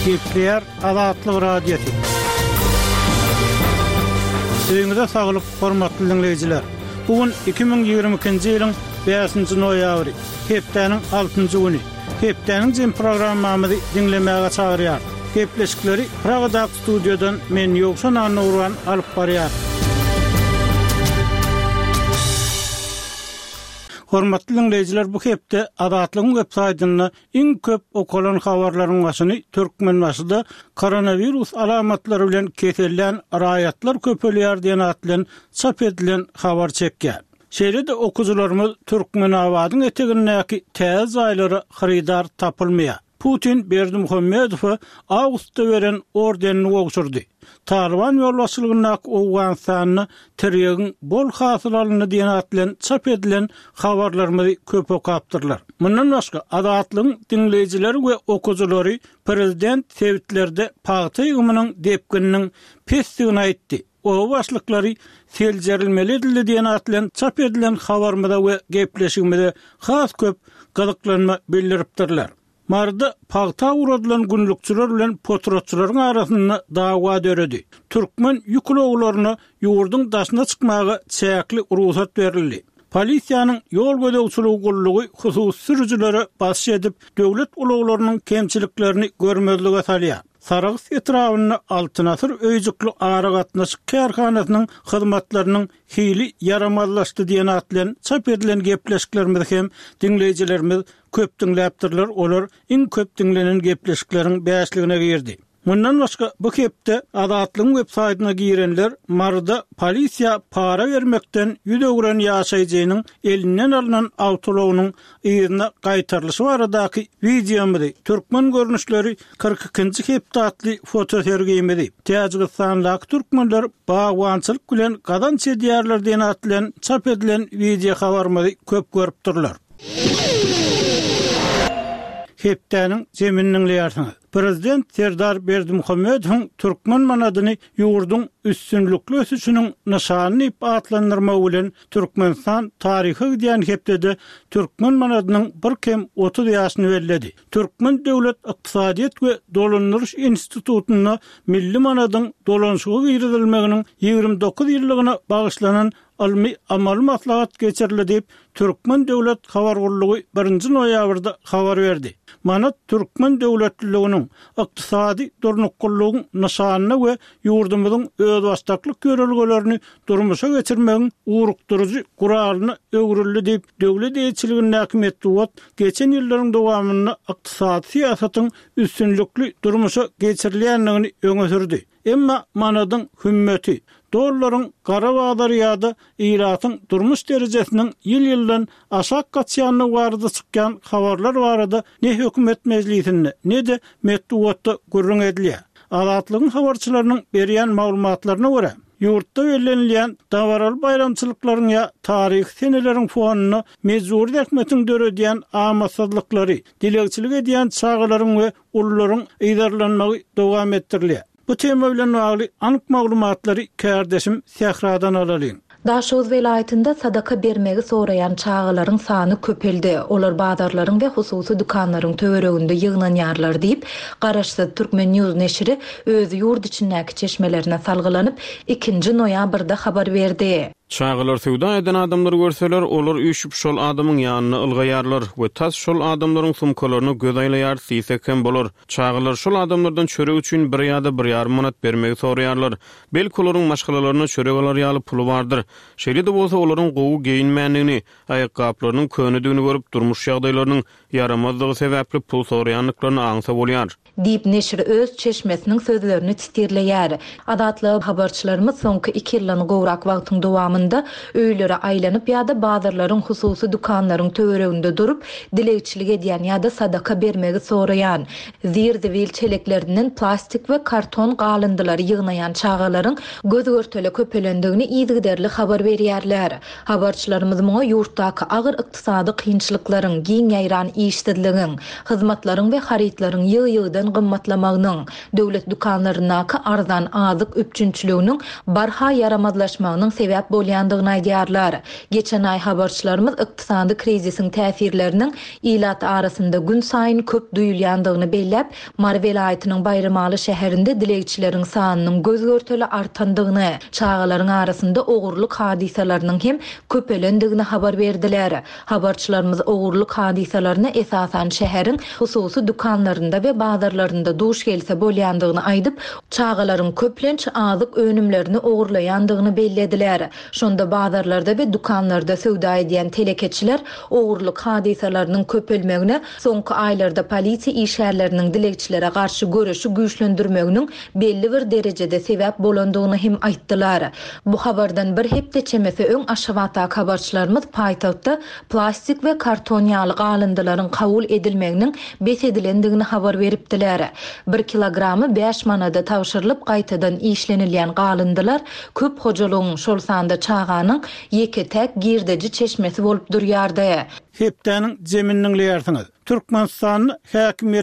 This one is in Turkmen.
Gepleýär Azatlyk Radiosy. Öýüňize saglyk, hormatly diňleýjiler! Bu gün 2022-nji ýylyň bäşinji noýabry, hepdäniň altynjy güni. Hepdäniň jem programmamyzy diňlemäge çagyrýar. Gepleşikleri Pragadaky studiýadan men Ýowşan Annagurban alyp barýar. Hormatly diňleýjiler bu hepde Azatlygyň web saýtynda iň köp okalan habarlaryň başyny Türkmenbaşyda koronawirus alamatlary bilen kesellän raýatlar köpelýär diýen at bilen çap edilen habar çekýär. Şeýle-de okyjylarymyz Türkmenabadyň etegindäki täze jaýlara hyrydar tapylmaýar. Putin Berdimuhamedowa awgustda beren ordenini gowşurdy. Talyban ýolbaşçylygyndaky Owganystanda tirýegiň bol hasyl alyndy diýen at bilen çap edilen habarlarymyzy köp okapdyrlar. Mundan başga, Azatlygyň diňleýjileri we okyjylary prezident sebitlerde pagta ýygymynyň depgininiň pesdigini aýtdy. Oba başlyklary seljerilmeli edildi diýen at bilen çap edilen habarymyza we gepleşigimize has köp gyzyklanma bildiripdirler. Maryda pagta ugradylan günlükçiler bilen potratçylaryň arasynda dawa döredi. Türkmen ýük ulaglaryna ýurduň daşyna çykmaga çäkli rugsat berildi. Polisiýanyň ýol gözegçiligi gullugy hususy sürüjilere basyş edip, döwlet ulaglarynyň kemçiliklerini görmezlige salýar. Sarahs etrabynda Altyn asyr öýjükli aragatnaşyk kärhanasynyň hyzmatlarynyň hili ýaramazlaşdy diýen at bilen çap edilen gepleşiklerimizi hem diňleýjilerimiz köp diňläpdirler, olar iň köp diňlenen gepleşikleriň bäşligine girdi. Mundan başga, bu hepde Azatlygyň web saýtyna girenler Maryda polisiýa para bermekden ýüz öwren ýaşaýjynyň elinden alnan awtoulagynyň yzyna gaýtarylyşy baradaky wideomyzy, Türkmen görnüşleri 42-nji hepde atly fotosergimizi, Täjigistandaky türkmenler bagbançylyk bilen gazanç edýärler diýen at bilen çap edilen wideohabarymyzy köp görüpdirler. Hepdäniň jemini diňleýärsiňiz. Prezident Serdar Berdimuhamedowyň türkmen manadyny ýurduň üstünlikli ösüşiniň nyşany diýip atlandyrmagy bilen Türkmenistan taryha gidýän hepdede türkmen manadynyň bir kem 30 ýaşyny belledi. Türkmen döwlet ykdysadyýet we dolandyryş institutynda milli manadyň dolanyşyga girizilmeginiň 29 ýyllygyna bagyşlanan ylmy-amaly maslahat geçirildi diýip, Türkmen döwlet habar gullugy birinji noýabrda habar berdi. Manat türkmen döwletliliginiň, ykdysady durnuklylygyň nyşanyna we ýurdumyzyň özbaşdaklyk ýörelgelerini durmuşa geçirmegiň ugrukdyryjy guralyna öwrüldi diýip, döwlet eýeçiligindäki metbugat geçen ýyllaryň dowamynda ykdysady syýasatyň üstünlikli durmuşa geçirilýändigini öňe sürdi. Emma manadyň hümmeti, dollaryň gara bazary ýa-da ilatyň durmuş derejesiniň ýyl-ýyldan aşak gaçýandygy barada çykýan habarlar barada ne hökümet mejlisinde, ne-de metbugatda gürrüň edilýär. Azatlygyň habarçylarynyň berýän maglumatlaryna görä, ýurtda bellenilýän dabaraly baýramçylyklaryň ýa taryhy seneleriň fonunda mejbury zähmetiň döredýän amatsyzlyklary, dilegçilik edýän çagalaryň we ulularyň yzarlanmagy dowam etdirilýär. Bu tema bilen bagly anyk maglumatlary kärdeşim Sähradan alalyň. Daşoguz welaýatynda sadaka bermegi soraýan çagalaryň sany köpeldi. Olar bazarlaryň we hususy dükanlaryň töwereginde ýygnanýarlar diýip, garaşsyz Turkmen. News neşiri öz ýurt içindäki çeşmelerine salgylanyp, ikinji noýabrda habar berdi. Çagalar söwda eden adamlary görseler, olar üýşüp şol adamyň ýanyna ylgaýarlar we tas şol adamlaryň sumkalaryna göz aýlaýarys diýsek hem bolar. Çagalar şol adamlardan çörek üçin bir ýa-da bir ýarym manat bermegi soraýarlar. Belki olaryň maşgalalaryna çörek alar ýaly puly bardyr. Şeýle-de bolsa olaryň gowy geýinmändigini, aýakgaplarynyň könedigini görüp, durmuş ýagdaýlarynyň ýaramazdygy sebäpli pul soraýandyklaryny aňsa bolýar. Diýip, neşir öz çeşmesiniň sözlerini sitirleýär. Azatlyga habarçylarymyz soňky iki ýyldan gowrak wagtyň dowamynda öýlere aýlanyp ýa-da bazarlaryň hususy dükanlaryň töwereginde durup, dilegçilik edýän ýa-da sadaka bermegi soraýan, zir-zibil çeleklerinden plastik we karton galyndylary ýygnaýan çagalaryň göz-görtele köpelendigini yzygiderli habar berýärler. Habarçylarymyz muňa ýurtdaky agyr ykdysady kynçylyklaryň, giň ýaýran işsizligiň, hyzmatlaryň we harytlaryň ýygy-ýygydan gymmatlamagynyň, döwlet dükanlaryndaky arzan azyk üpjünçiliginiň barha ýaramazlaşmagynyň sebäp bolýandygyny. bolýandygyny aýdýarlar. Geçen aý habarçylarymyz ykdysady krizisiň täsirleriniň ilat arasynda günsaýyn köp duýulýandygyny belläp, Mary welaýatynyň Baýramaly şäherinde dilegçileriň sanynyň göz-görtele artandygyny, çagalaryň arasynda ogurlyk hadysalarynyň hem köpelendigini habar berdiler. Habarçylarymyz ogurlyk hadysalaryna esasan şäheriň hususy dükanlarynda we bazarlarynda duş gelse bolýandygyny aýdyp, çagalaryň köplenç azyk önümlerini ogurlaýandygyny bellediler. Şonda bazarlarda we dükanlarda söwda edýän telekeçiler ogurlyk hadysalarynyň köpelmegine soňky aýlarda polisiýa işgärleriniň dilegçilere garşy göreşi güýçlendirmeginiň belli bir derejede sebäp bolandygyny hem aýtdylar. Bu habardan bir hepde çemesi öň Aşgabatdaky habarçylarymyz paýtagtda plastik we karton ýaly galyndylaryň kabul edilmeginiň bes edilendigini habar beripdiler. Bir kilogramy bäş manada tabşyrylyp gaýtadan işlenilýän galyndylar köp hojalygyň, şol sanda çaganyň ýeke-täk girdeji çeşmesi bolup durýardy. Hepdäniň jemini diňleýärsiňiz. Türkmenistanda häkimiýet.